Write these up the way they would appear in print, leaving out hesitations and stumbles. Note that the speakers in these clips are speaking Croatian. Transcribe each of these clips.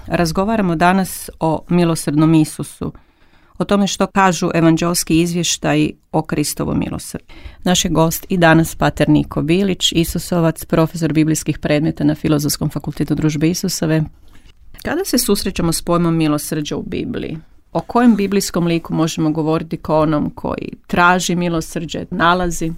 Razgovaramo danas o milosrdnom Isusu, o tome što kažu evanđelski izvještaji o Kristovom milosrđu. Naš je gost i danas pater Niko Bilić, Isusovac, profesor biblijskih predmeta na Filozofskom fakultetu Družbe Isusove. Kada se susrećemo s pojmom milosrđa u Bibliji, o kojem biblijskom liku možemo govoriti kao onom koji traži milosrđe, nalazi?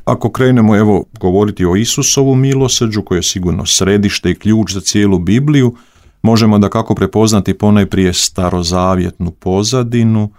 Ako krenemo govoriti o Isusovom milosrđu, koje je sigurno središte i ključ za cijelu Bibliju, možemo dakako prepoznati ponajprije starozavjetnu pozadinu.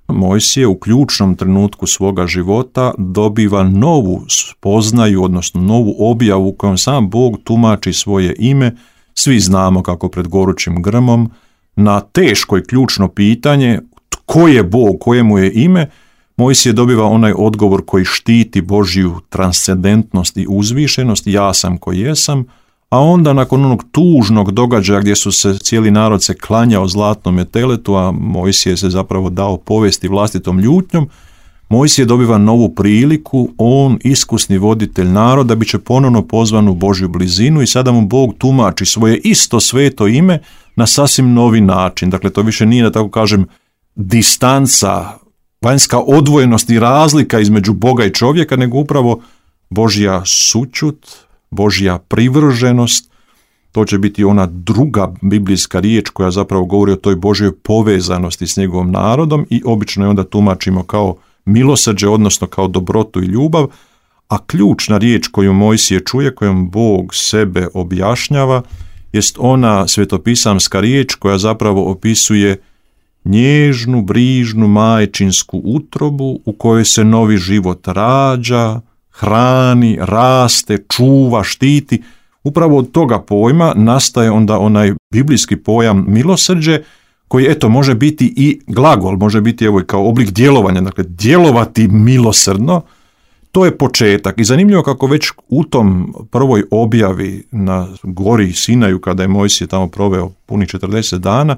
Mojsije u ključnom trenutku svoga života dobiva novu spoznaju, odnosno novu objavu u kojom sam Bog tumači svoje ime. Svi znamo kako pred gorućim grmom na teško i ključno pitanje tko je Bog, koje mu je ime, Mojsije dobiva onaj odgovor koji štiti Božju transcendentnost i uzvišenost, ja sam koji jesam, a onda nakon onog tužnog događaja gdje su se cijeli narod se klanjao zlatnome teletu, a Mojsije se zapravo dao povesti vlastitom ljutnjom, Mojsije dobiva novu priliku, on iskusni voditelj naroda bit će ponovno pozvan u Božju blizinu i sada mu Bog tumači svoje isto sveto ime na sasvim novi način. Dakle, to više nije, da tako kažem, distanca, vanjska odvojenost i razlika između Boga i čovjeka, nego upravo Božja sućut, Božja privrženost. To će biti ona druga biblijska riječ koja zapravo govori o toj Božjoj povezanosti s njegovom narodom i obično je onda tumačimo kao milosrđe, odnosno kao dobrotu i ljubav, a ključna riječ koju Mojsije čuje, kojom Bog sebe objašnjava, jest ona svetopisamska riječ koja zapravo opisuje nježnu, brižnu, majčinsku utrobu u kojoj se novi život rađa, hrani, raste, čuva, štiti. Upravo od toga pojma nastaje onda onaj biblijski pojam milosrđe, koji može biti i glagol, može biti kao oblik djelovanja, dakle djelovati milosrdno. To je početak i zanimljivo kako već u tom prvoj objavi na gori Sinaju, kada je Mojsije tamo proveo punih 40 dana,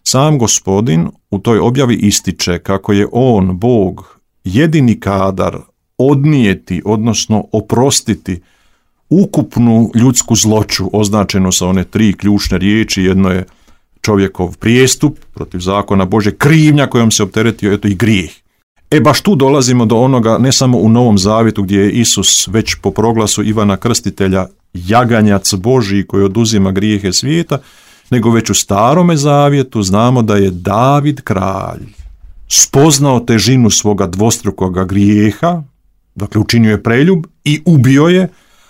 sam Gospodin u toj objavi ističe kako je on, Bog, jedini kadar odnijeti, odnosno oprostiti ukupnu ljudsku zloću, označeno sa one 3 ključne riječi. Jedno je čovjekov prijestup protiv zakona Bože, krivnja kojom se opteretio, i grijeh. Baš tu dolazimo do onoga, ne samo u Novom Zavjetu gdje je Isus već po proglasu Ivana Krstitelja jaganjac Božji koji oduzima grijehe svijeta, nego već u Starome Zavjetu znamo da je David kralj spoznao težinu svoga dvostrukoga grijeha, dakle učinio je preljub i ubio je,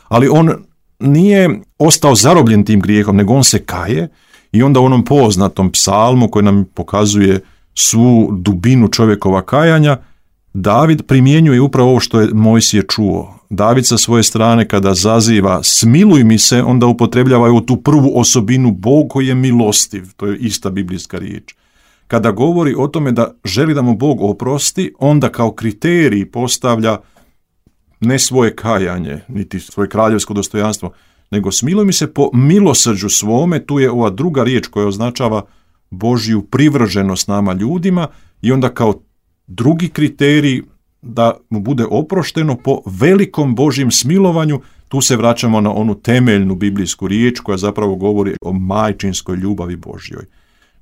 ali on nije ostao zarobljen tim grijehom, nego on se kaje i onda u onom poznatom psalmu koji nam pokazuje svu dubinu čovjekova kajanja, David primjenjuje upravo ovo što je Mojsije čuo. David sa svoje strane kada zaziva smiluj mi se, onda upotrebljava tu prvu osobinu Bog koji je milostiv, to je ista biblijska riječ. Kada govori o tome da želi da mu Bog oprosti, onda kao kriterij postavlja ne svoje kajanje, niti svoje kraljevsko dostojanstvo, nego smiluj mi se po milosrđu svome. Tu je ova druga riječ koja označava Božju privrženost nama ljudima i onda kao drugi kriterij da mu bude oprošteno po velikom Božjem smilovanju. Tu se vraćamo na onu temeljnu biblijsku riječ koja zapravo govori o majčinskoj ljubavi Božjoj.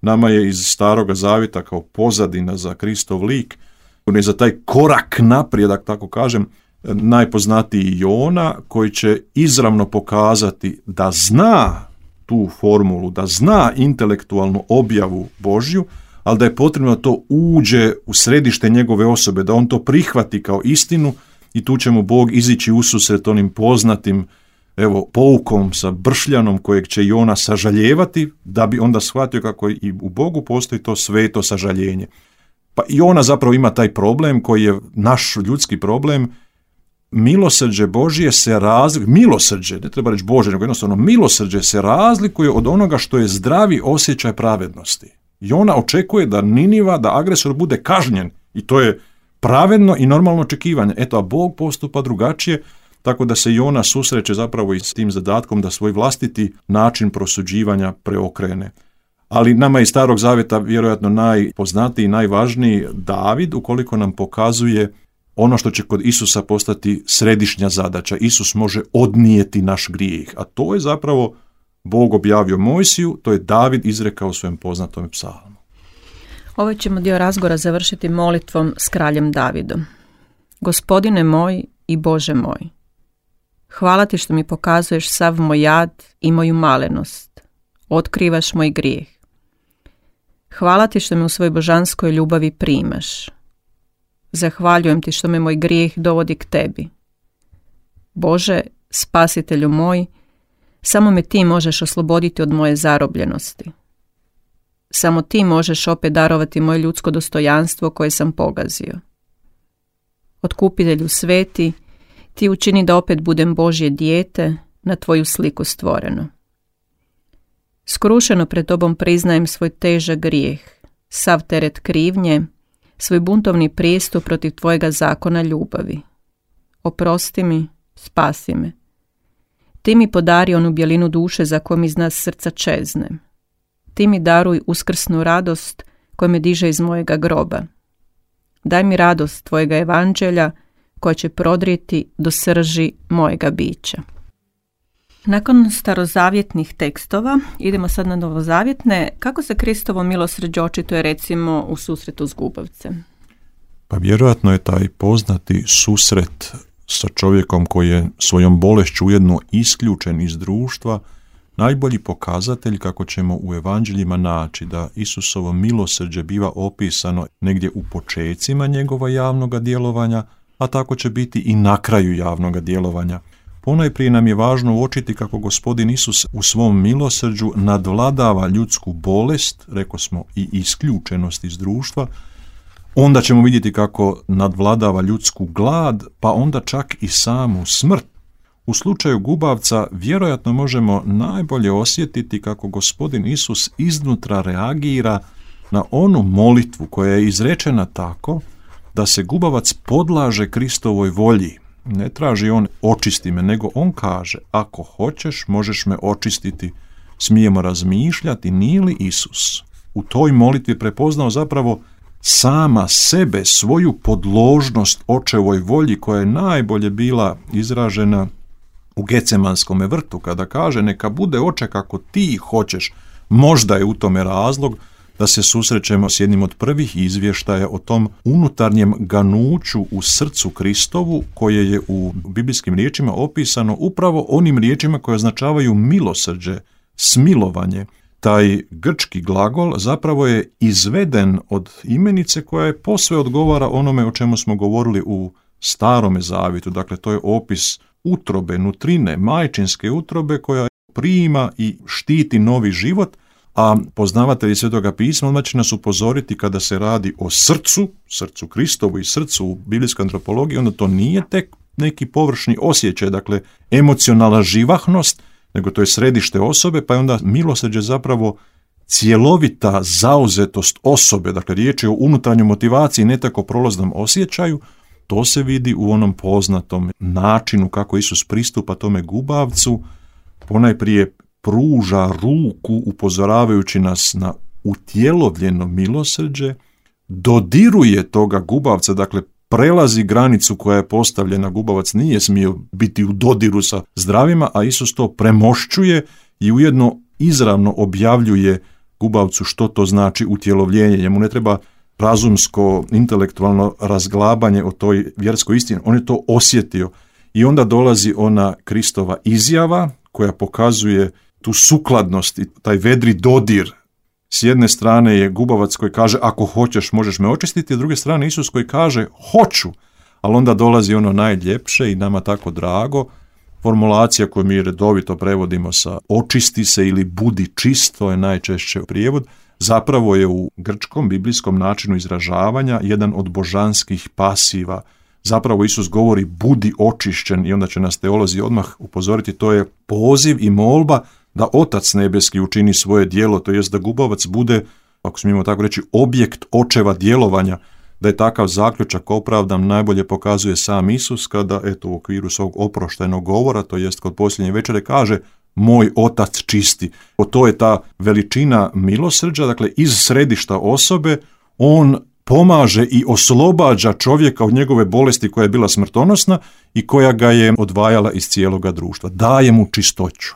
Nama je iz Staroga Zavjeta kao pozadina za Kristov lik, on je za taj korak naprijed, da tako kažem, najpoznatiji Jona, koji će izravno pokazati da zna tu formulu, da zna intelektualnu objavu Božju, ali da je potrebno da to uđe u središte njegove osobe, da on to prihvati kao istinu i tu će mu Bog izići ususret onim poznatim poukom sa bršljanom kojeg će Jona sažaljevati, da bi onda shvatio kako i u Bogu postoji to sveto sažaljenje. Pa i ona zapravo ima taj problem koji je naš ljudski problem. Milosrđe Božje se razlikuje, milosrđe, ne treba reći Bože, nego jednostavno milosrđe se razlikuje od onoga što je zdravi osjećaj pravednosti. I ona očekuje da Niniva, da agresor bude kažnjen i to je pravedno i normalno očekivanje. A Bog postupa drugačije, tako da se Jona susreće zapravo i s tim zadatkom da svoj vlastiti način prosuđivanja preokrene. Ali nama iz Starog Zavjeta vjerojatno najpoznatiji i najvažniji David, ukoliko nam pokazuje ono što će kod Isusa postati središnja zadaća. Isus može odnijeti naš grijeh, a to je zapravo Bog objavio Mojsiju, to je David izrekao u svojem poznatom psalmu. Ovaj ćemo dio razgovora završiti molitvom s kraljem Davidom. Gospodine moj i Bože moj, hvala ti što mi pokazuješ sav moj jad i moju malenost. Otkrivaš moj grijeh. Hvala ti što me u svojoj božanskoj ljubavi primaš. Zahvaljujem ti što me moj grijeh dovodi k tebi. Bože, spasitelju moj, samo me ti možeš osloboditi od moje zarobljenosti. Samo ti možeš opet darovati moje ljudsko dostojanstvo koje sam pogazio. Otkupitelju sveti, ti učini da opet budem Božje dijete, na tvoju sliku stvoreno. Skrušeno pred tobom priznajem svoj težak grijeh, sav teret krivnje, svoj buntovni prijestup protiv tvojega zakona ljubavi. Oprosti mi, spasi me. Ti mi podari onu bjelinu duše za kojom iz nas srca čezne. Ti mi daruj uskrsnu radost koja me diže iz mojega groba. Daj mi radost tvojega evanđelja koja će prodrijeti do srži mojega bića. Nakon starozavjetnih tekstova idemo sad na novozavjetne. Kako se Kristovo milosrđe očituje recimo u susretu s gubavcem? Pa vjerojatno je taj poznati susret sa čovjekom koji je svojom bolešću ujedno isključen iz društva najbolji pokazatelj kako ćemo u evanđeljima naći da Isusovo milosrđe biva opisano negdje u počecima njegova javnoga djelovanja, a tako će biti i na kraju javnoga djelovanja. Ponajprije nam je važno uočiti kako Gospodin Isus u svom milosrđu nadvladava ljudsku bolest, rekao smo i isključenost iz društva, onda ćemo vidjeti kako nadvladava ljudsku glad, pa onda čak i samu smrt. U slučaju gubavca vjerojatno možemo najbolje osjetiti kako Gospodin Isus iznutra reagira na onu molitvu koja je izrečena tako da se gubavac podlaže Kristovoj volji. Ne traži on očisti me, nego on kaže ako hoćeš možeš me očistiti. Smijemo razmišljati nije li Isus u toj molitvi prepoznao zapravo sama sebe, svoju podložnost očevoj volji koja je najbolje bila izražena u Getsemanskome vrtu kada kaže neka bude oče kako ti hoćeš. Možda je u tome razlog da se susrećemo s jednim od prvih izvještaja o tom unutarnjem ganuću u srcu Kristovu koje je u biblijskim riječima opisano upravo onim riječima koje označavaju milosrđe, smilovanje. Taj grčki glagol zapravo je izveden od imenice koja je posve odgovara onome o čemu smo govorili u Starome zavjetu. Dakle, to je opis utrobe, nutrine, majčinske utrobe koja prima i štiti novi život, a poznavatelji Svetoga pisma odmah će nas upozoriti kada se radi o srcu Kristovu i srcu u biblijskoj antropologiji, onda to nije tek neki površni osjećaj, dakle emocionalna živahnost, nego to je središte osobe, pa je onda milosrđe zapravo cjelovita zauzetost osobe, dakle riječ je o unutarnjoj motivaciji, ne tako prolaznom osjećaju. To se vidi u onom poznatom načinu kako Isus pristupa tome gubavcu, ponajprije pruža ruku upozoravajući nas na utjelovljeno milosrđe, dodiruje toga gubavca, dakle prelazi granicu koja je postavljena, gubavac nije smio biti u dodiru sa zdravima, a Isus to premošćuje i ujedno izravno objavljuje gubavcu što to znači utjelovljenje. Njemu ne treba razumsko, intelektualno razglabanje o toj vjerskoj istini, on je to osjetio. I onda dolazi ona Kristova izjava koja pokazuje tu sukladnost i taj vedri dodir. S jedne strane je gubavac koji kaže ako hoćeš možeš me očistiti, a s druge strane Isus koji kaže hoću, ali onda dolazi ono najljepše i nama tako drago, formulacija koju mi redovito prevodimo sa očisti se ili budi čist, to je najčešće prijevod, zapravo je u grčkom biblijskom načinu izražavanja jedan od božanskih pasiva. Zapravo Isus govori budi očišćen i onda će nas teolozi odmah upozoriti, to je poziv i molba da Otac nebeski učini svoje djelo, to jest da gubavac bude, ako smijemo tako reći, objekt očeva djelovanja. Da je takav zaključak opravdan najbolje pokazuje sam Isus kada u okviru svog oproštajnog govora, to jest kod posljednje večere kaže moj Otac čisti. To je ta veličina milosrđa, dakle iz središta osobe on pomaže i oslobađa čovjeka od njegove bolesti koja je bila smrtonosna i koja ga je odvajala iz cijeloga društva. Daje mu čistoću.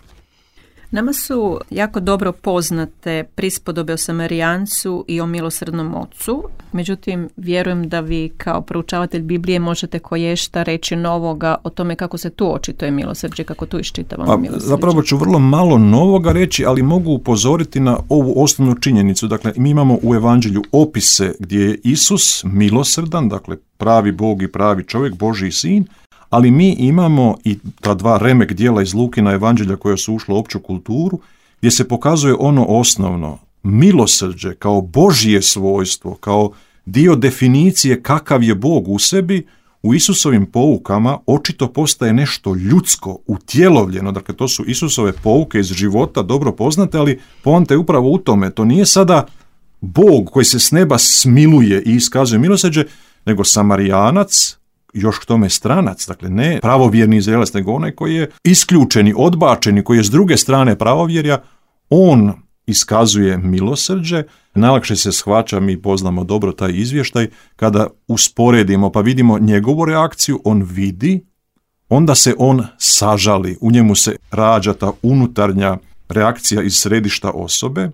Nama su jako dobro poznate prispodobe o Samarijancu i o milosrdnom ocu, međutim vjerujem da vi kao proučavatelj Biblije možete koješta reći novoga o tome kako se tu očituje milosrđe, kako tu iščitavamo milosrđe. Zapravo ću vrlo malo novoga reći, ali mogu upozoriti na ovu osnovnu činjenicu. Dakle, mi imamo u Evanđelju opise gdje je Isus milosrdan, dakle pravi Bog i pravi čovjek, Božji sin, ali mi imamo i ta dva remek dijela iz Lukina Evanđelja koja su ušla u opću kulturu, gdje se pokazuje ono osnovno, milosrđe kao Božje svojstvo, kao dio definicije kakav je Bog u sebi, u Isusovim poukama očito postaje nešto ljudsko, utjelovljeno. Dakle, to su Isusove pouke iz života, dobro poznate, ali poanta je upravo u tome. To nije sada Bog koji se s neba smiluje i iskazuje milosrđe, nego Samarijanac, još k tome stranac, dakle ne pravovjerni Izraelac, nego onaj koji je isključeni, odbačeni, koji je s druge strane pravovjerja, on iskazuje milosrđe. Najlakše se shvaća, mi poznamo dobro taj izvještaj, kada usporedimo pa vidimo njegovu reakciju, on vidi, onda se on sažali, u njemu se rađa ta unutarnja reakcija iz središta osobe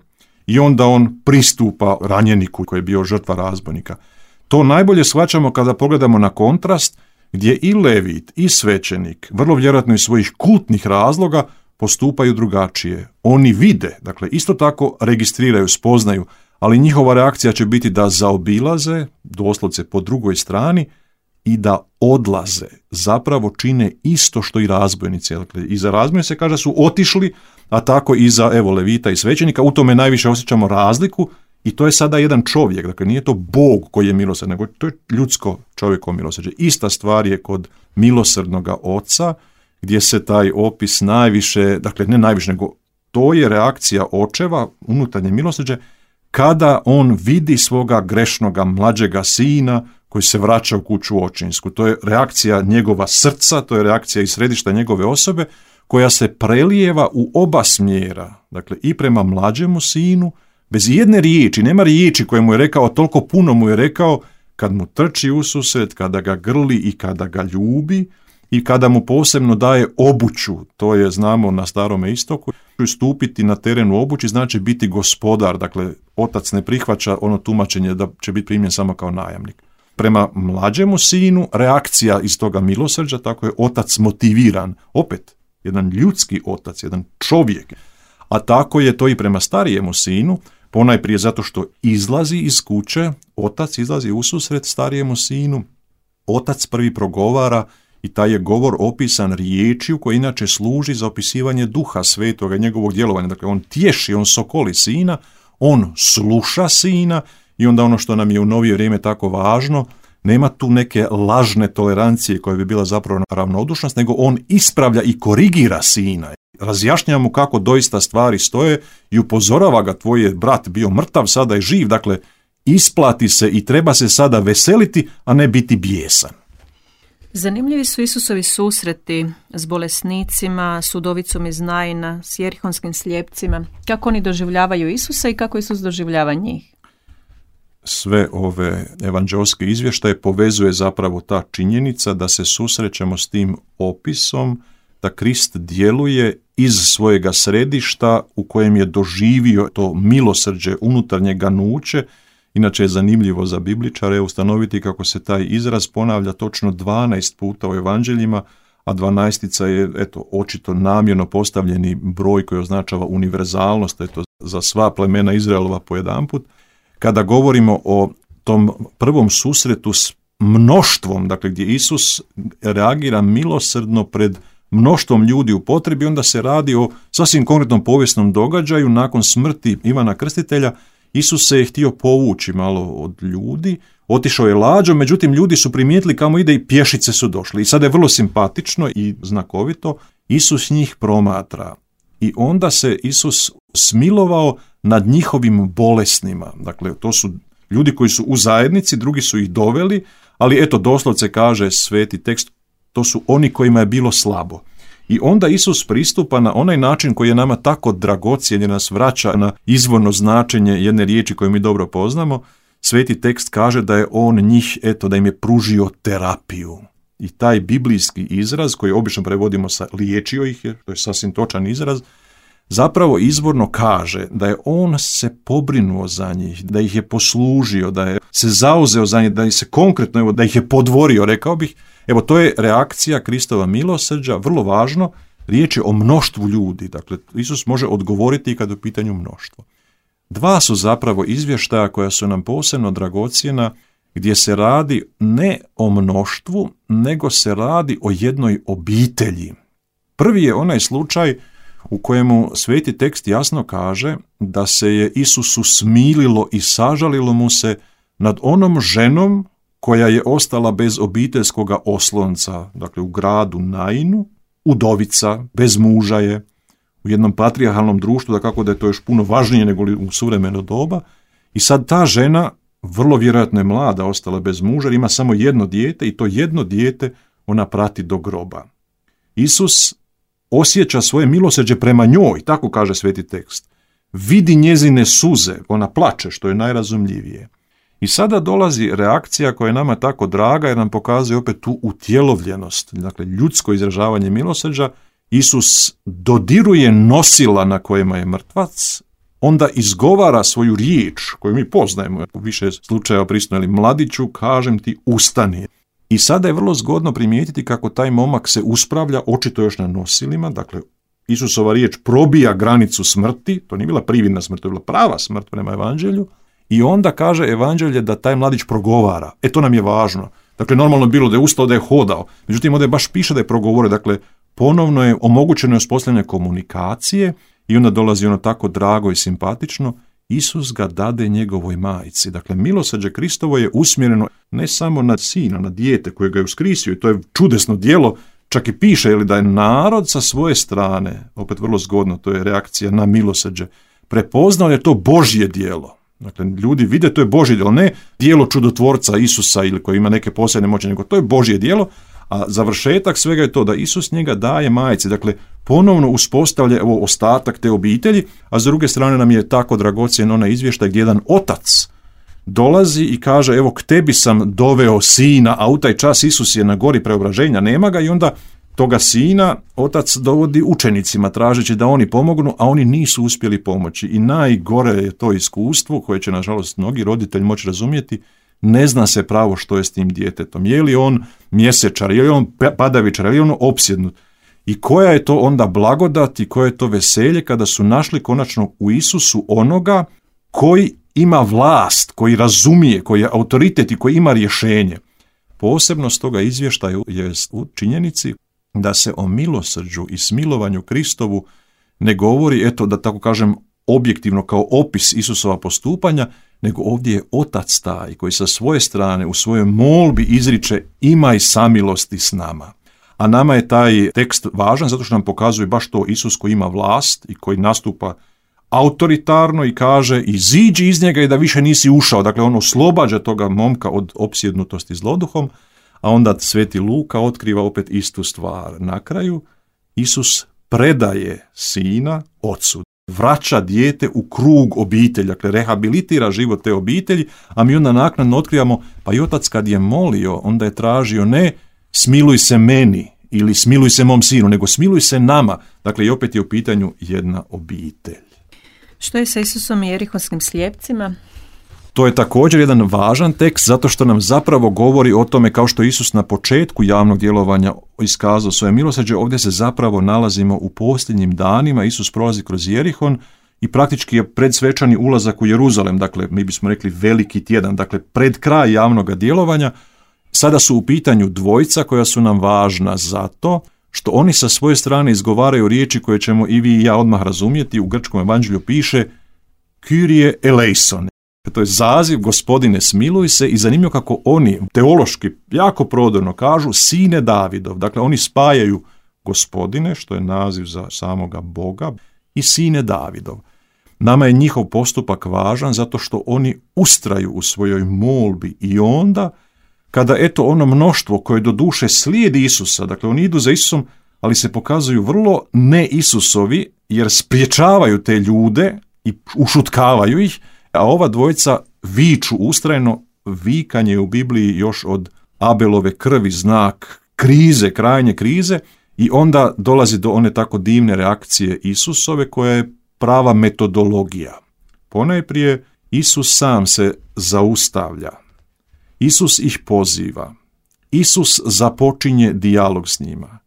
i onda on pristupa ranjeniku koji je bio žrtva razbojnika. To najbolje shvaćamo kada pogledamo na kontrast gdje i levit i svećenik, vrlo vjerojatno iz svojih kultnih razloga, postupaju drugačije. Oni vide, dakle isto tako registriraju, spoznaju, ali njihova reakcija će biti da zaobilaze, doslovce po drugoj strani, i da odlaze. Zapravo čine isto što i razbojnici. Dakle, i za razbojnice se kaže su otišli, a tako i za levita i svećenika. U tome najviše osjećamo razliku. I to je sada jedan čovjek, dakle nije to Bog koji je milosrdan, nego to je ljudsko čovjekovo milosrđe. Ista stvar je kod milosrdnoga oca, gdje se taj opis najviše, dakle ne najviše, nego to je reakcija očeva, unutarnje milosrđe, kada on vidi svoga grešnoga mlađega sina koji se vraća u kuću očinsku. To je reakcija njegova srca, to je reakcija iz središta njegove osobe, koja se prelijeva u oba smjera, dakle i prema mlađemu sinu, bez jedne riječi, nema riječi koje mu je rekao, toliko puno mu je rekao, kad mu trči ususret, kada ga grli i kada ga ljubi i kada mu posebno daje obuću, to je, znamo, na Starome istoku, stupiti na terenu obući znači biti gospodar, dakle otac ne prihvaća ono tumačenje da će biti primljen samo kao najamnik. Prema mlađemu sinu reakcija iz toga milosrđa, tako je otac motiviran, opet jedan ljudski otac, jedan čovjek, a tako je to i prema starijemu sinu, ponajprije zato što izlazi iz kuće, otac izlazi ususret starijemu sinu, otac prvi progovara i taj je govor opisan riječju koja inače služi za opisivanje Duha Svetoga, njegovog djelovanja. Dakle, on tješi, on sokoli sina, on sluša sina i onda ono što nam je u novije vrijeme tako važno, nema tu neke lažne tolerancije koja bi bila zapravo ravnodušnost, nego on ispravlja i korigira sina. Razjašnjava mu kako doista stvari stoje i upozorava ga, tvoj je brat bio mrtav, sada je živ, dakle isplati se i treba se sada veseliti, a ne biti bijesan. Zanimljivi su Isusovi susreti s bolesnicima, s udovicom iz Naina, s jerihonskim slijepcima. Kako oni doživljavaju Isusa i kako Isus doživljava njih? Sve ove evanđelske izvještaje povezuje zapravo ta činjenica da se susrećemo s tim opisom da Krist djeluje iz svojega središta u kojem je doživio to milosrđe, unutarnje ganuće. Inače je zanimljivo za bibličare ustanoviti kako se taj izraz ponavlja točno 12 puta u evanđeljima, a 12 je očito namjerno postavljeni broj koji označava univerzalnost, za sva plemena Izraelova po jedanput. Kada govorimo o tom prvom susretu s mnoštvom, dakle gdje Isus reagira milosrdno pred mnoštvom ljudi u potrebi, onda se radi o sasvim konkretnom povijesnom događaju. Nakon smrti Ivana Krstitelja Isus se je htio povući malo od ljudi, otišao je lađom, međutim ljudi su primijetili kamo ide i pješice su došli. I sada je vrlo simpatično i znakovito, Isus njih promatra i onda se Isus smilovao nad njihovim bolesnima. Dakle, to su ljudi koji su u zajednici, drugi su ih doveli, ali doslovce kaže sveti tekst, to su oni kojima je bilo slabo. I onda Isus pristupa na onaj način koji je nama tako dragocjen, jer nas vraća na izvorno značenje jedne riječi koju mi dobro poznamo. Sveti tekst kaže da je on njih, da im je pružio terapiju. I taj biblijski izraz, koji obično prevodimo sa liječio ih, to je sasvim točan izraz, zapravo izvorno kaže da je on se pobrinuo za njih, da ih je poslužio, da je se zauzeo za njih, da ih se konkretno, da ih je podvorio, rekao bih. Evo, to je reakcija Kristova milosrđa, vrlo važno, riječ je o mnoštvu ljudi. Dakle, Isus može odgovoriti kad je u pitanju mnoštvo. Dva su zapravo izvještaja koja su nam posebno dragocjena, gdje se radi ne o mnoštvu, nego se radi o jednoj obitelji. Prvi je onaj slučaj u kojemu sveti tekst jasno kaže da se je Isusu smililo i sažalilo mu se nad onom ženom koja je ostala bez obiteljskoga oslonca, dakle u gradu Nainu, udovica, bez muža je, u jednom patrijarhalnom društvu, da je to još puno važnije nego u suvremeno doba, i sad ta žena, vrlo vjerojatno je mlada, ostala bez muža, ima samo jedno dijete i to jedno dijete ona prati do groba. Isus osjeća svoje milosrđe prema njoj, tako kaže sveti tekst. Vidi njezine suze, ona plače, što je najrazumljivije. I sada dolazi reakcija koja je nama tako draga jer nam pokazuje opet tu utjelovljenost, dakle ljudsko izražavanje milosrđa. Isus dodiruje nosila na kojima je mrtvac, onda izgovara svoju riječ koju mi poznajemo, u više slučajeva prisutno, mladiću, kažem ti, ustani. I sada je vrlo zgodno primijetiti kako taj momak se uspravlja, očito još na nosilima, dakle Isusova riječ probija granicu smrti, to nije bila prividna smrt, to je bila prava smrt prema evanđelju, i onda kaže evanđelje da taj mladić progovara. To nam je važno. Dakle, normalno bilo da je ustao, da je hodao, međutim ovdje baš piše da je progovorio, dakle ponovno je omogućeno uspostavljanje komunikacije i onda dolazi ono tako drago i simpatično, Isus ga dade njegovoj majci. Dakle, milosrđe Kristovo je usmjereno ne samo na sina, na dijete koje ga je uskrisio, i to je čudesno djelo, čak i piše da je narod sa svoje strane, opet vrlo zgodno, to je reakcija na milosrđe, prepoznao je to Božje djelo. Dakle, ljudi vide to je Božje djelo, ne djelo čudotvorca Isusa ili koji ima neke posebne moći, nego to je Božje djelo, a završetak svega je to da Isus njega daje majci. Dakle, ponovno uspostavlja ostatak te obitelji, a s druge strane nam je tako dragocjen onaj izvještaj gdje jedan otac dolazi i kaže, evo k tebi sam doveo sina, a u taj čas Isus je na gori preobraženja, nema ga, i onda toga sina otac dovodi učenicima tražeći da oni pomognu, a oni nisu uspjeli pomoći. I najgore je to iskustvo koje će nažalost mnogi roditelji moći razumjeti. Ne zna se pravo što je s tim djetetom. Je li on mjesečar, je li on padavičar, je li on opsjednut. I koja je to onda blagodat i koje je to veselje kada su našli konačno u Isusu onoga koji ima vlast, koji razumije, koji je autoritet i koji ima rješenje. Posebnost toga izvještaja je u činjenici da se o milosrđu i smilovanju Kristovu ne govori, da tako kažem, objektivno kao opis Isusova postupanja, nego ovdje je otac taj koji sa svoje strane u svojoj molbi izriče imaj samilosti s nama. A nama je taj tekst važan zato što nam pokazuje baš to Isus koji ima vlast i koji nastupa autoritarno i kaže iziđi iz njega i da više nisi ušao. Dakle, on oslobađa toga momka od opsjednutosti zloduhom, a onda sveti Luka otkriva opet istu stvar. Na kraju Isus predaje sina ocu, vraća dijete u krug obitelji, dakle rehabilitira život te obitelji, a mi onda naknadno otkrivamo, pa i otac kad je molio, onda je tražio ne smiluj se meni ili smiluj se mom sinu, nego smiluj se nama. Dakle, i opet je u pitanju jedna obitelj. Što je sa Isusom i jerihonskim slijepcima? To je također jedan važan tekst zato što nam zapravo govori o tome kao što Isus na početku javnog djelovanja iskazao svoje milosrđe, ovdje se zapravo nalazimo u posljednjim danima. Isus prolazi kroz Jerihon i praktički je predsvečani ulazak u Jeruzalem, dakle mi bismo rekli veliki tjedan, dakle pred kraj javnog djelovanja. Sada su u pitanju dvojica koja su nam važna zato što oni sa svoje strane izgovaraju riječi koje ćemo i vi i ja odmah razumjeti. U grčkom evanđelju piše Kyrie eleison. To je zaziv Gospodine smiluj se, i zanimljivo kako oni teološki jako prodorno kažu sine Davidov. Dakle, oni spajaju Gospodine, što je naziv za samoga Boga, i sine Davidov. Nama je njihov postupak važan zato što oni ustraju u svojoj molbi i onda kada ono mnoštvo koje do duše slijedi Isusa, dakle oni idu za Isusom, ali se pokazuju vrlo ne Isusovi jer spriječavaju te ljude i ušutkavaju ih, a ova dvojica viču ustrajno. Vikanje u Bibliji još od Abelove krvi znak krize, krajnje krize, I onda dolazi do one tako divne reakcije Isusove koja je prava metodologija. Ponajprije Isus sam se zaustavlja. Isus ih poziva. Isus započinje dijalog s njima.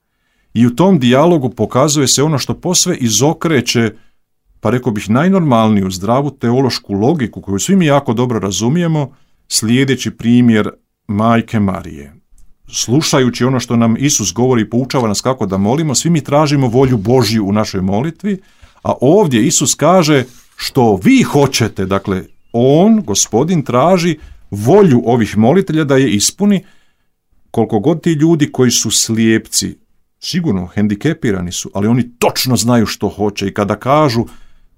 I u tom dijalogu pokazuje se ono što posve izokreće, pa rekao bih, najnormalniju zdravu teološku logiku koju svi mi jako dobro razumijemo, slijedeći primjer majke Marije. Slušajući ono što nam Isus govori i poučava nas kako da molimo, svi mi tražimo volju Božju u našoj molitvi, a ovdje Isus kaže što vi hoćete, dakle on, Gospodin, traži volju ovih molitelja da je ispuni. Koliko god ti ljudi koji su slijepci, sigurno hendikepirani su, ali oni točno znaju što hoće i kada kažu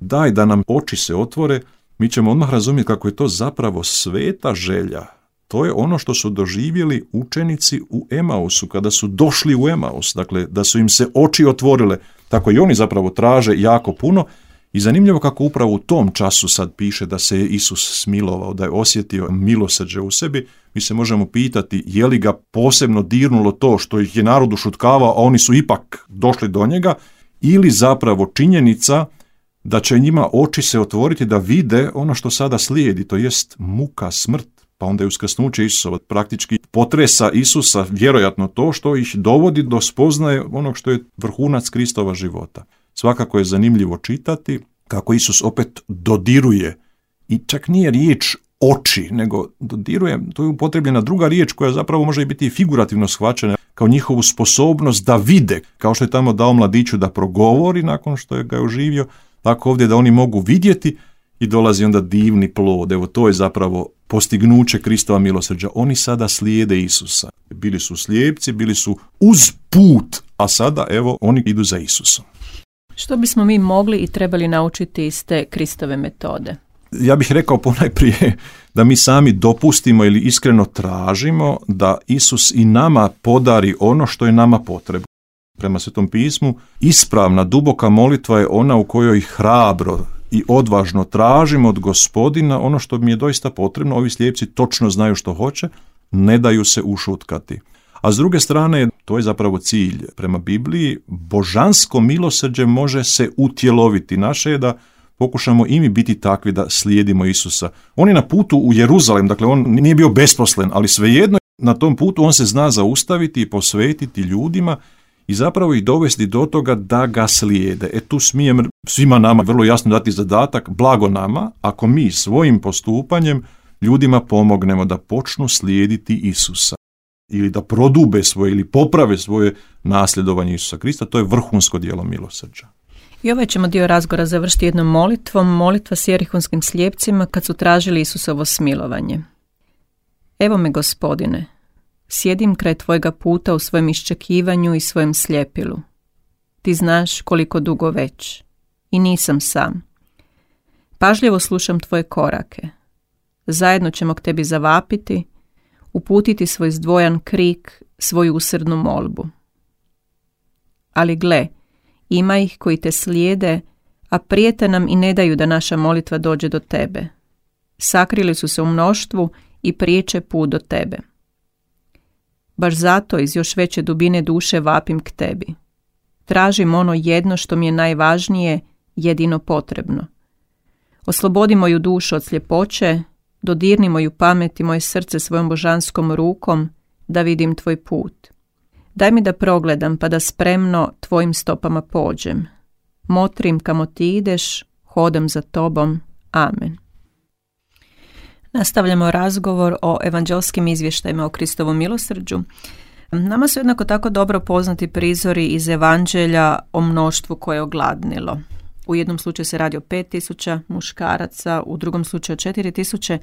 daj da nam oči se otvore, mi ćemo odmah razumjeti kako je to zapravo sveta želja. To je ono što su doživjeli učenici u Emausu, kada su došli u Emaus, dakle da su im se oči otvorile, tako i oni zapravo traže jako puno. I zanimljivo kako upravo u tom času sad piše da se je Isus smilovao, da je osjetio milosrđe u sebi. Mi se možemo pitati je li ga posebno dirnulo to što ih je narod ušutkavao, a oni su ipak došli do njega, ili zapravo činjenica da će njima oči se otvoriti da vide ono što sada slijedi, to jest muka, smrt. Pa onda je uskrsnuće Isusova praktički potresa Isusa, vjerojatno to što ih dovodi do spoznaje onog što je vrhunac Kristova života. Svakako je zanimljivo čitati kako Isus opet dodiruje, i čak nije riječ oči, nego dodiruje, to je upotrebljena druga riječ koja zapravo može biti i figurativno shvaćena kao njihovu sposobnost da vide, kao što je tamo dao mladiću da progovori nakon što je ga oživio, tako ovdje da oni mogu vidjeti i dolazi onda divni plod. Evo to je zapravo postignuće Kristova milosrđa. Oni sada slijede Isusa. Bili su slijepci, bili su uz put, a sada evo oni idu za Isusom. Što bismo mi mogli i trebali naučiti iz te Kristove metode? Ja bih rekao ponajprije da mi sami dopustimo ili iskreno tražimo da Isus i nama podari ono što je nama potrebno. Prema Svetom pismu, ispravna, duboka molitva je ona u kojoj hrabro i odvažno tražimo od Gospodina ono što mi je doista potrebno. Ovi slijepci točno znaju što hoće, ne daju se ušutkati. A s druge strane, to je zapravo cilj prema Bibliji, božansko milosrđe može se utjeloviti. Naše je da pokušamo i mi biti takvi da slijedimo Isusa. On je na putu u Jeruzalem, dakle on nije bio besposlen, ali svejedno na tom putu on se zna zaustaviti i posvetiti ljudima i zapravo ih dovesti do toga da ga slijede. Tu smijem svima nama vrlo jasno dati zadatak, blago nama, ako mi svojim postupanjem ljudima pomognemo da počnu slijediti Isusa ili da prodube svoje ili poprave svoje nasljedovanje Isusa Krista, to je vrhunsko djelo milosrđa. I ovaj ćemo dio razgovora završiti jednom molitvom, molitva s jerihonskim slijepcima kad su tražili Isusovo smilovanje. Evo me, Gospodine, sjedim kraj tvojega puta u svojem iščekivanju i svojem slijepilu. Ti znaš koliko dugo već i nisam sam. Pažljivo slušam tvoje korake. Zajedno ćemo k tebi zavapiti, uputiti svoj zdvojan krik, svoju usrdnu molbu. Ali gle, ima ih koji te slijede, a prijete nam i ne daju da naša molitva dođe do tebe. Sakrili su se u mnoštvu i priječe put do tebe. Baš zato iz još veće dubine duše vapim k tebi. Tražim ono jedno što mi je najvažnije, jedino potrebno. Oslobodi moju dušu od sljepoće, dodirni moju pamet i moje srce svojom božanskom rukom, da vidim tvoj put. Daj mi da progledam pa da spremno tvojim stopama pođem. Motrim kamo ti ideš, hodam za tobom. Amen. Nastavljamo razgovor o evanđelskim izvještajima o Kristovom milosrđu. Nama su jednako tako dobro poznati prizori iz evanđelja o mnoštvu koje je ogladnilo. U jednom slučaju se radi o 5.000 muškaraca, u drugom slučaju 4.000.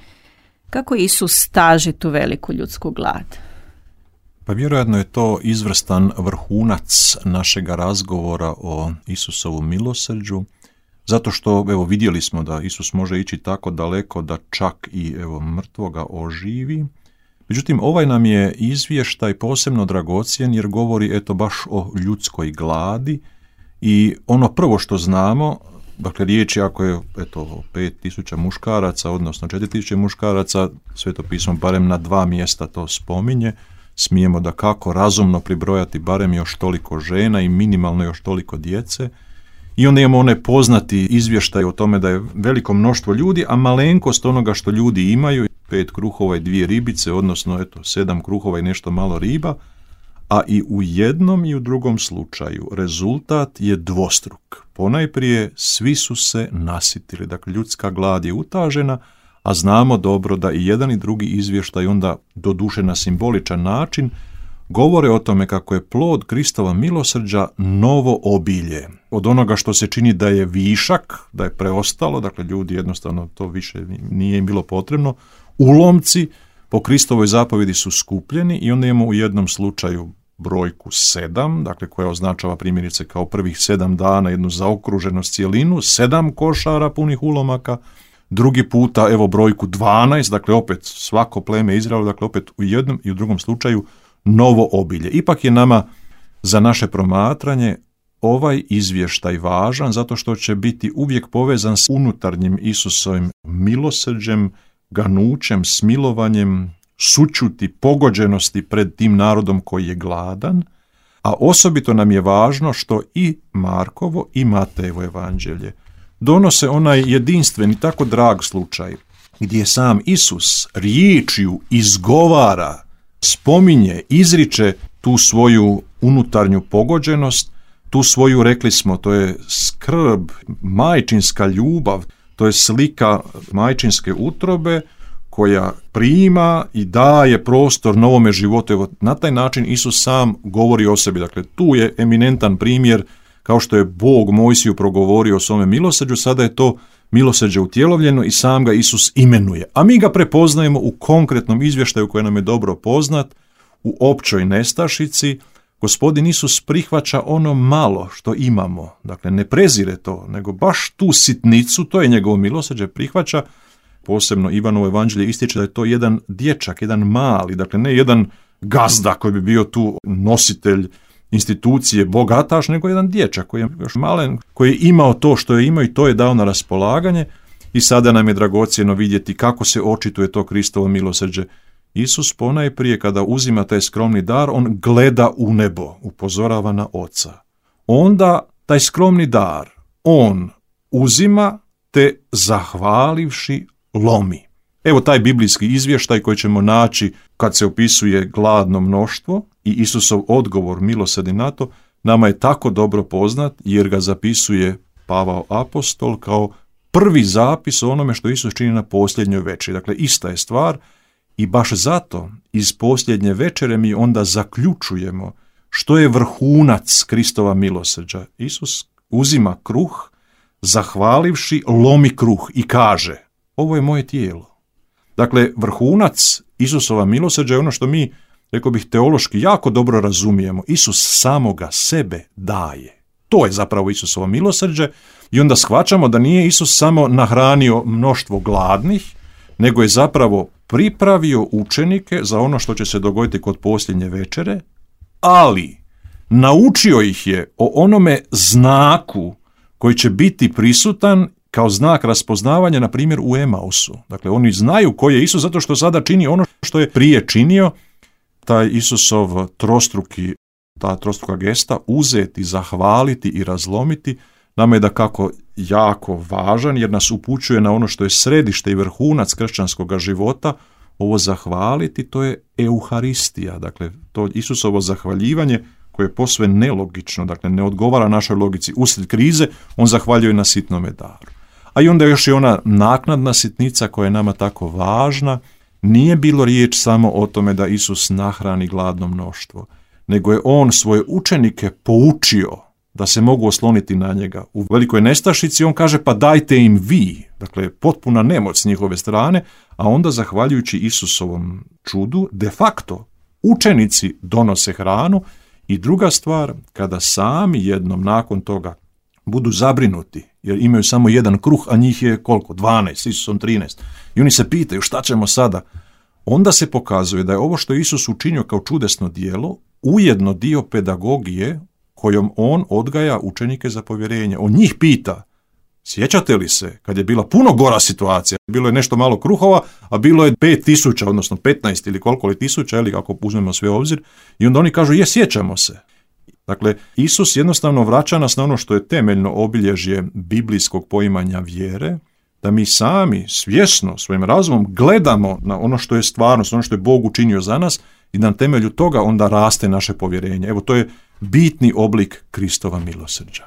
Kako Isus staži tu veliku ljudsku glad? Pa vjerojatno je to izvrstan vrhunac našega razgovora o Isusovom milosrđu, zato što evo vidjeli smo da Isus može ići tako daleko da čak i mrtvoga oživi. Međutim, ovaj nam je izvještaj posebno dragocjen jer govori baš o ljudskoj gladi i ono prvo što znamo, dakle riječ je ako je 5.000 muškaraca, odnosno 4.000 muškaraca, Sveto pismo barem na 2 mjesta to spominje, smijemo da kako razumno pribrojati barem još toliko žena i minimalno još toliko djece. I onda imamo one poznati izvještaj o tome da je veliko mnoštvo ljudi, a malenkost onoga što ljudi imaju, 5 kruhova i 2 ribice, odnosno 7 kruhova i nešto malo riba, a i u jednom i u drugom slučaju rezultat je dvostruk. Ponajprije svi su se nasitili, dakle ljudska glad je utažena, a znamo dobro da i jedan i drugi izvještaj onda doduše na simboličan način govore o tome kako je plod Kristova milosrđa novo obilje. Od onoga što se čini da je višak, da je preostalo, dakle ljudi jednostavno to više nije im bilo potrebno, ulomci po Kristovoj zapovjedi su skupljeni i onda imamo u jednom slučaju brojku 7, dakle koja označava primjerice kao prvih 7 dana jednu zaokruženost cjelinu, 7 košara punih ulomaka, drugi puta evo brojku 12, dakle opet svako pleme Izraela, dakle opet u jednom i u drugom slučaju novo obilje. Ipak je nama za naše promatranje ovaj izvještaj važan zato što će biti uvijek povezan s unutarnjim Isusovim milosrđem, ganućem, smilovanjem, sućuti, pogođenosti pred tim narodom koji je gladan, a osobito nam je važno što i Markovo i Matejevo evanđelje donose onaj jedinstveni, tako drag slučaj, gdje sam Isus riječju izgovara, spominje, izriče tu svoju unutarnju pogođenost, tu svoju, rekli smo, to je skrb, majčinska ljubav, to je slika majčinske utrobe koja prima i daje prostor novome životu. Evo, na taj način Isus sam govori o sebi. Dakle, tu je eminentan primjer, kao što je Bog Mojsiju progovorio o svome milosrđu, sada je to milosrđe utjelovljeno i sam ga Isus imenuje. A mi ga prepoznajemo u konkretnom izvještaju koji nam je dobro poznat, u općoj nestašici. Gospodin Isus prihvaća ono malo što imamo, dakle ne prezire to, nego baš tu sitnicu, to je njegovo milosrđe, prihvaća. Posebno Ivanovo evanđelje ističe da je to jedan dječak, jedan mali, dakle ne jedan gazda koji bi bio tu nositelj institucije bogataš, nego jedan dječak koji je još malen, koji je imao to što je imao i to je dao na raspolaganje. I sada nam je dragocjeno vidjeti kako se očituje to Kristovo milosrđe. Isus ponajprije kada uzima taj skromni dar, on gleda u nebo, upozorava na Oca. Onda taj skromni dar on uzima te zahvalivši lomi. Evo taj biblijski izvještaj koji ćemo naći kad se opisuje gladno mnoštvo i Isusov odgovor milosrdi na to, nama je tako dobro poznat jer ga zapisuje Pavao apostol kao prvi zapis o onome što Isus čini na posljednjoj večeri. Dakle, ista je stvar i baš zato iz posljednje večere mi onda zaključujemo što je vrhunac Kristova milosrđa. Isus uzima kruh, zahvalivši, lomi kruh i kaže: ovo je moje tijelo. Dakle, vrhunac Isusova milosrđa je ono što mi, rekao bih, teološki jako dobro razumijemo. Isus samoga sebe daje. To je zapravo Isusovo milosrđe i onda shvaćamo da nije Isus samo nahranio mnoštvo gladnih, nego je zapravo pripravio učenike za ono što će se dogoditi kod posljednje večere, ali naučio ih je o onome znaku koji će biti prisutan kao znak raspoznavanja, na primjer, u Emausu. Dakle, oni znaju koji je Isus zato što sada čini ono što je prije činio. Taj Isusov ta trostruka gesta, uzeti, zahvaliti i razlomiti, nama je dakako jako važan jer nas upućuje na ono što je središte i vrhunac kršćanskog života. Ovo zahvaliti, to je Euharistija, dakle to Isusovo zahvaljivanje koje je posve nelogično, dakle ne odgovara našoj logici. Usred krize on zahvaljuje na sitnome daru. A i onda još je ona naknadna sitnica koja je nama tako važna. Nije bilo riječ samo o tome da Isus nahrani gladno mnoštvo, nego je on svoje učenike poučio da se mogu osloniti na njega. U velikoj nestašici on kaže pa dajte im vi, dakle potpuna nemoć s njihove strane, a onda zahvaljujući Isusovom čudu de facto učenici donose hranu. I druga stvar, kada sami jednom nakon toga budu zabrinuti, jer imaju samo jedan kruh, a njih je koliko? 12, Isusom 13. I oni se pitaju šta ćemo sada? Onda se pokazuje da je ovo što Isus učinio kao čudesno djelo ujedno dio pedagogije kojom on odgaja učenike za povjerenje. On njih pita Sjećate li se kad je bila puno gora situacija? Bilo je nešto malo kruhova, a bilo je 5.000, odnosno 15 ili koliko li tisuća, ili ako uzmemo sve u obzir. I onda oni kažu, sjećamo se. Dakle, Isus jednostavno vraća nas na ono što je temeljno obilježje biblijskog poimanja vjere, da mi sami svjesno svojim razumom gledamo na ono što je stvarnost, ono što je Bog učinio za nas i na temelju toga onda raste naše povjerenje. Evo, to je bitni oblik Kristova milosrđa.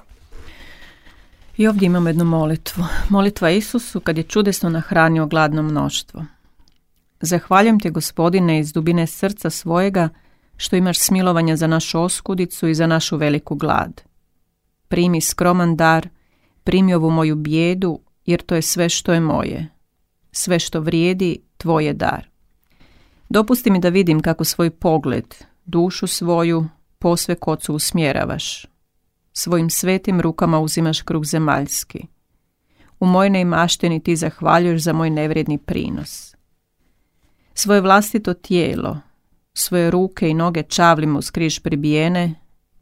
I ovdje imamo jednu molitvu. Molitva Isusu kad je čudesno nahranio gladno mnoštvo. Zahvaljujem te, Gospodine, iz dubine srca svojega, što imaš smilovanja za našu oskudicu i za našu veliku glad. Primi skroman dar, primi ovu moju bijedu, jer to je sve što je moje. Sve što vrijedi, tvoj je dar. Dopusti mi da vidim kako svoj pogled, dušu svoju, posve k Ocu usmjeravaš. Svojim svetim rukama uzimaš kruh zemaljski. U mojoj neimaštini ti zahvaljuješ za moj nevrijedni prinos. Svoje vlastito tijelo, svoje ruke i noge čavlima uz križ pribijene,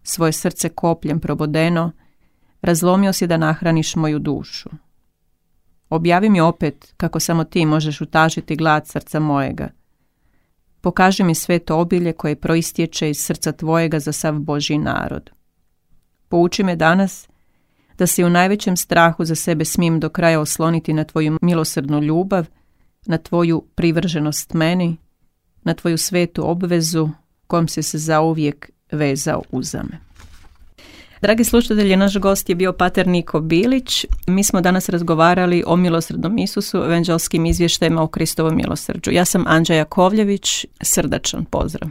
svoje srce kopljem probodeno, razlomio si da nahraniš moju dušu. Objavi mi opet kako samo ti možeš utažiti glad srca mojega. Pokaži mi sve to obilje koje proistječe iz srca tvojega za sav Božji narod. Pouči me danas da se u najvećem strahu za sebe smijem do kraja osloniti na tvoju milosrdnu ljubav, na tvoju privrženost meni, na tvoju svetu obvezu kojom si se zauvijek vezao uza me. Dragi slušatelji, naš gost je bio pater Niko Bilić. Mi smo danas razgovarali o milosrdnom Isusu, evanđelskim izvještajima o Kristovom milosrđu. Ja sam Anđa Jakovljević, srdačan pozdrav.